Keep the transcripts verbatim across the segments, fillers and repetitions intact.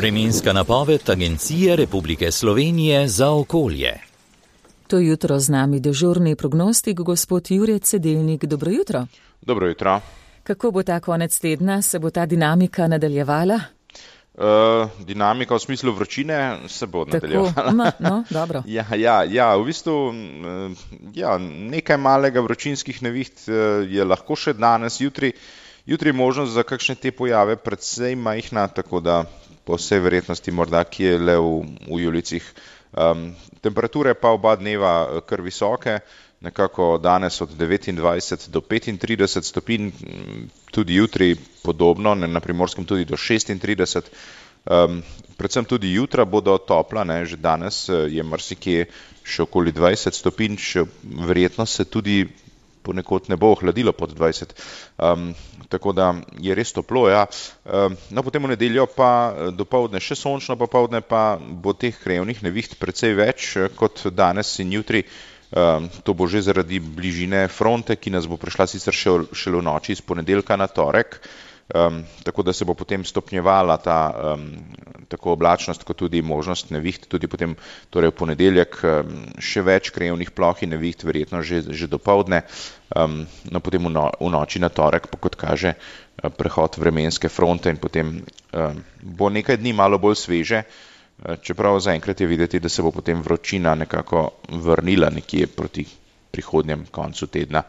Vremenska napoved Agencije Republike Slovenije za okolje. To jutro z nami dežurni prognostik, gospod Jure Cedelnik. Dobro jutro. Dobro jutro. Kako bo ta konec tedna? Se bo ta dinamika nadaljevala? Uh, dinamika v smislu vročine se bo Tako, nadaljevala. ma, no, dobro. ja, ja, ja, v bistvu uh, ja, nekaj malega vročinskih neviht uh, je lahko še danes, jutri. Jutri je možnost za kakšne te pojave predvsej majhna, tako da po vsej verjetnosti morda kje le v, v Julicih. Um, temperature pa oba dneva kar visoke, nekako danes od devetindvajset do petintrideset stopinj, tudi jutri podobno, na Primorskem tudi do šestintrideset. Um, predvsem tudi jutra bodo topla, ne, že danes je marsikje še okoli dvajset stopinj, še verjetno se tudi ponekod ne bo ohladilo pod dvajset. Um, tako da je res toplo, ja. Um, no, potem v nedeljo pa dopoldne še sončno, popoldne pa bo teh krajevnih neviht precej več kot danes in jutri. Um, to bo že zaradi bližine fronte, ki nas bo prišla sicer še, šele v noči iz ponedeljka na torek, um, tako da se bo potem stopnjevala ta um, tako oblačnost kot tudi možnost neviht, tudi potem torej v ponedeljek um, še več krajevnih ploh in neviht, verjetno že, že dopoldne, um, no potem v, no, v noči na torek, pa kot kaže prehod vremenske fronte in potem um, bo nekaj dni malo bolj sveže. Čeprav zaenkrat je videti, da se bo potem vročina nekako vrnila nekje proti prihodnjem koncu tedna.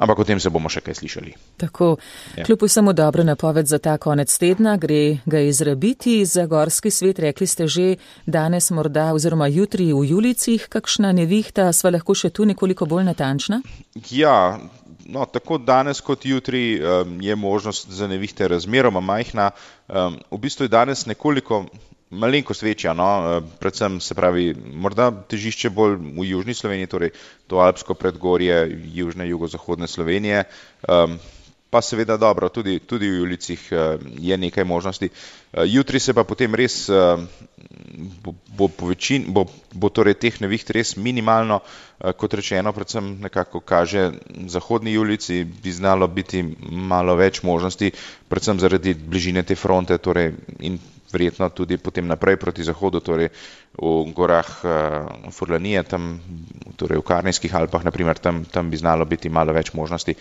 Ampak o tem se bomo še kaj slišali. Tako, ja. Kljub vsemu dobro napoved za ta konec tedna, gre ga izrabiti za gorski svet. Rekli ste že danes morda oziroma jutri v Julicih, kakšna nevihta, sva lahko še tu nekoliko bolj natančna? Ja, no, tako danes kot jutri um, je možnost za nevihte razmeroma majhna. Um, v bistvu je danes nekoliko malenkost večja, no, predvsem se pravi, morda težišče bolj v južni Sloveniji, torej to alpsko predgorje, južne, jugozahodne Slovenije, um, pa seveda dobro, tudi, tudi v Julicih uh, je nekaj možnosti. Uh, jutri se pa potem res uh, bo, bo, po večin, bo, bo torej teh neviht res minimalno, uh, kot rečeno, predvsem nekako kaže zahodni Julici, bi znalo biti malo več možnosti, predvsem zaradi bližine te fronte, torej in verjetno tudi potem naprej proti zahodu, torej v gorah uh, Furlanije, tam, torej v Karnijskih Alpah, naprimer, tam, tam bi znalo biti malo več možnosti,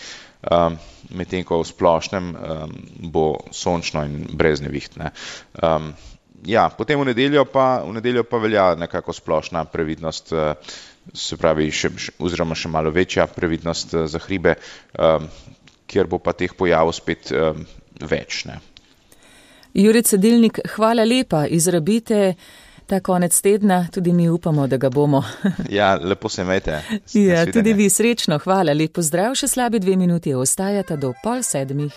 um, medtem ko v splošnem um, bo sončno in brez neviht. Ne. Um, ja, potem v nedeljo pa, v nedeljo pa velja nekako splošna previdnost, uh, se pravi, še, še, oziroma še malo večja previdnost uh, za hribe, um, kjer bo pa teh pojavov spet um, več. Ne. Jure Cedelnik, hvala lepa, izrabite ta konec tedna, tudi mi upamo, da ga bomo. Ja, lepo se imejte. Ja, tudi vi srečno, hvala, lep pozdrav, še slabi dve minuti ostajata do pol sedmih.